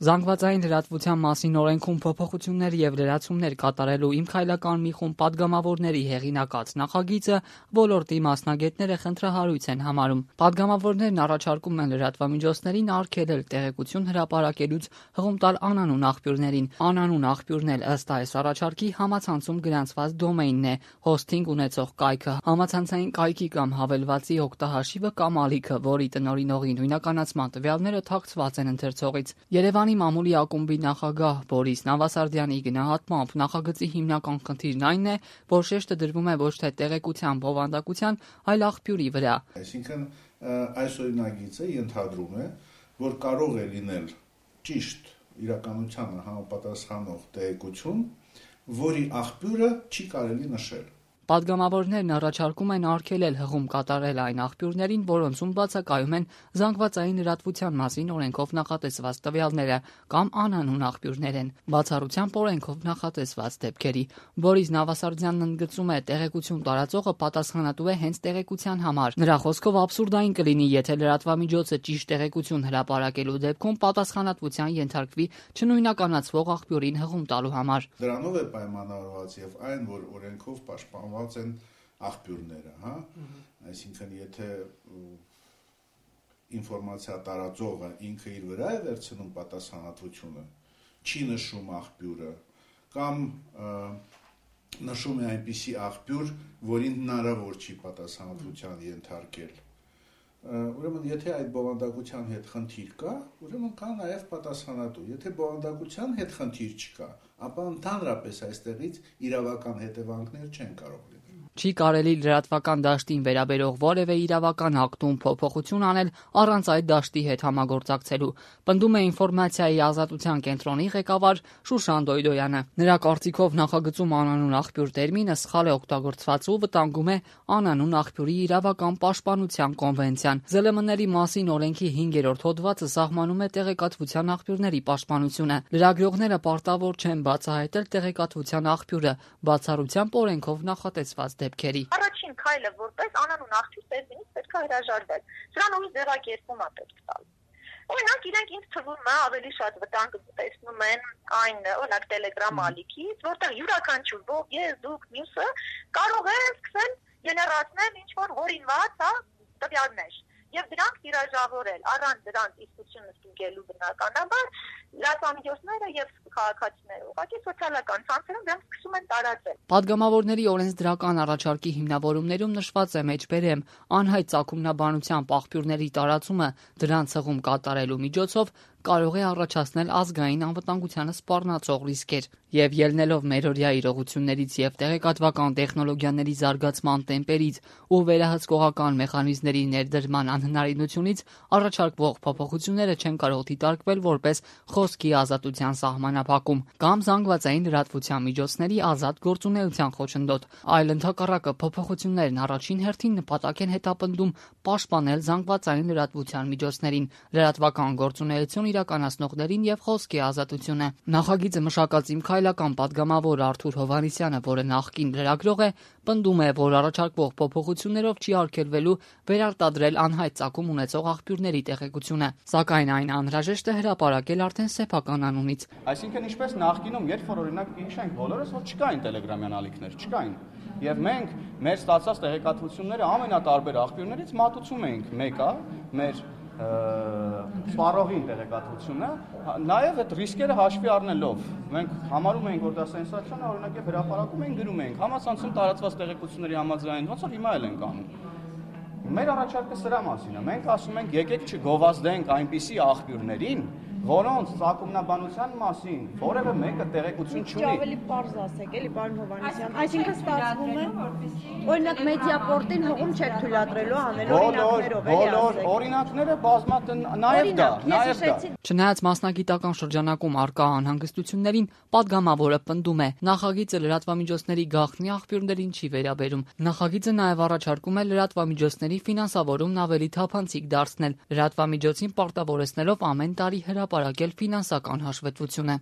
Զանգվածային լրատվության մասին օրենքում փոփոխություններ եւ լրացումներ կատարելու Իմ քայլական մի խումբ падգամավորների հեղինակած նախագիծը ոլորտի մասնագետները խնդրահարույց են համարում։ Падգամավորներն առաջարկում են լրատվամիջոցներին արգելել տեղեկություն հրապարակելուց հղում տալ անանուն աղբյուրներին։ Անանուն աղբյուրն էլ ըստ այս առաջարկի համացանցում գրանցված դոմեյնն է, հոսթինգ ունեցող կայքը, համացանցային կայքի կամ հավելվածի օգտահաշիվը կամ ալիքը, որի տնօրինողի նույնականացման տվյալները թաքցված են ընթերցողից։ Երևանի մամուլի ակումբի նախագահ Բորիս Նավասարդյանի գնահատմամբ նախագծի հիմնական խնդիրն այն է, որ շեշտը դրվում է ոչ թե տեղեկության բովանդակության, այլ աղբյուրի վրա։ Այսինքն այս օրինագիծը ենթադրում է, որ կարող է լինել ճիշտ իրականությանը համապատասխանող տեղեկություն, որի աղբյուրը չի կարելի նշել։ Падգամավորներն առաջարկում են արգելել հղում կատարել այն աղբյուրներին, որոնցում բացակայում են զանգվածային լրատվության մասին օրենքով նախատեսված տվյալները կամ անանուն աղբյուրներ են, բացառությամբ օրենքով նախատեսված դեպքերի։ Բորիս Նավասարդյանն ընդգծում է, տեղեկություն տարածողը պատասխանատու է հենց տեղեկության համար։ Նրա խոսքով աբսուրդային կլինի, եթե լրատվամիջոցը ճիշտ տեղեկություն հրապարակելու դեպքում պատասխանատվության ենթարկվի չնույնականացվող աղբյուրին հղում տալու համար։ Դրանով է պայմանավորված եւ այն, որ օրենքով պաշտպանված են աղբյուրները, հա, այսինքն եթե ինֆորմացիա տարածողը ինքը իր վրա է վերցնում պատասխանատվությունը, չի նշում աղբյուրը կամ նշում է այնպիսի աղբյուր, որին հնարավոր չի պատասխանատվության ենթարկել։ Ուրեմն եթե այդ բովանդակության հետ խնդիր կա, ուրեմն կա նաև պատասխանատու։ Եթե բովանդակության հետ խնդիր չկա, ապա ընդհանրապես այստեղից իրավական հետևանքներ չեն կարող լինել։ Չի կարելի լրատվական դաշտին վերաբերող որևէ իրավական ակտում փոփոխություն անել առանց այդ դաշտի հետ համագործակցելու, պնդում է ինֆորմացիայի ազատության կենտրոնի ղեկավար Շուշան Դոյդոյանը։ Նրա կարծիքով նախագծում անանուն աղբյուր տերմինը սխալ է օգտագործված ու վտանգում է անանուն աղբյուրի իրավական պաշտպանության կոնվենցիան։ ԶԼՄ-ների մասին օրենքի 5-րդ հոդվածը սահմանում է տեղեկատվության աղբյուրների պաշտպանությունը։ Լրագրողները պարտավոր չեն բացահայտել տեղեկատվության աղբյուրը, բացառությամբ օրենքով նախատեսված դեպքերի։ Առաջին քայլը որպես անանուն աղբյուր տերմինից պետք է հրաժարվել։ Սրան ուրիշ ձեռակերպում է պետք տալ։ Օրինակ իրենք ինձ թվում է ավելի շատ վտանգ տեսնում են այն, օրինակ Telegram ալիքից, որտեղ յուրաքանչյուր ով ես, դուք, մյուսը կարող է սկսել գեներացնել ինչ-որ հորինված, տվյալներ եւ դրանք տիրաժավորել առանց դրանց իսկությունը ստուգելու բնականաբար լրատվամիջոցները եւ քաղաքացիները ուղղակի սոցիալական ցանցերում դրանք սկսում են տարածել։ Падգամավորների օրենսդրական առաջարկի հիմնավորումներում նշված է մեջբերեմ անհայտ ծագումնաբանությամբ աղբյուրների տարածումը դրանց հղում կատարելու միջոցով կարող է առաջացնել ազգային անվտանգությանը սպառնացող ռիսկեր եւ ելնելով մերօրյա իրողություններից եւ տեղեկատվական տեխնոլոգիաների զարգացման տեմպերից ու վերահսկողական մեխանիզմների ներդրման անհնարինությունից առաջարկվող փոփոխությունները չեն կարող դիտարկվել որպես խոսքի ազատության սահմանափակում կամ զանգվածային լրատվության միջոցների ազատ գործունեության խոչընդոտ, այլ ընդհակառակը փոփոխություններն առաջին հերթին նպատակ են հետապնդում պաշտպանել զանգվածային լրատվության միջոցներին, լրատվական գործունեություն իրականացնողներին եւ խոսքի ազատությունը։ Նախագիծը մշակած Իմ քայլական падգամավոր Արթուր Հովհաննիսյանը, որը նախկին լրագրող է, պնդում է, որ առաջարկվող փոփոխություններով չի արգելվելու վերարտադրել անհայտ ծագում ունեցող աղբյուրների տեղեկությունը, սակայն այն անհրաժեշտ է հրապարակել արդեն սեփական անունից։ Այսինքն ինչպես նախկինում, երբ որ օրինակ հիշենք բոլորս, որ չկային տելեգրամյան ալիքներ, չկային։ Եվ մենք մեր ստացած տեղեկատվությունները ամենատարբեր աղբյուրներից մատուցում էինք մեկը, մեր սպառողին տեղեկատվությունը, նաև այդ ռիսկերը հաշվի առնելով մենք համարում ենք, որ դա սենսացիոն է, օրինակ եւ հրապարակում ենք, գրում ենք համացանցում տարածված տեղեկությունների համաձայն, ոնց որ հիմա էլ ենք անում։ Մեր առաջարկը սրա մասին է։ Մենք ասում ենք, եկեք չգովազդենք այնպիսի աղբյուրներին, որոնց ծագումնաբանության մասին որևէ մեկը տեղեկություն չունի։ Ավելի պարզ ասեք, էլի պարոն Հովհաննիսյան, այսինքն ստացվում է, օրինակ Մեդիապորտին հողում չեք թույլատրելու անել օրինակներով, էլի ասեք։ Բոլոր օրինակները բազմաթիվ նաև դա։ Չնայած մասնագիտական շրջանակում արկա անհանգստություններին, падգամավորը պնդում է, նախագիծը լրատվամիջոցների գաղտնի աղբյուրներին չի վերաբերում։ Նախագիծը նաև առաջարկում է լրատվամիջոցների ֆինանսավորումն ավելի թափանցիկ դարձնել, լրատվամիջոցին պարտավորեցնելով ամեն տարի հրապարակել ֆինանսական հաշվետվությունը։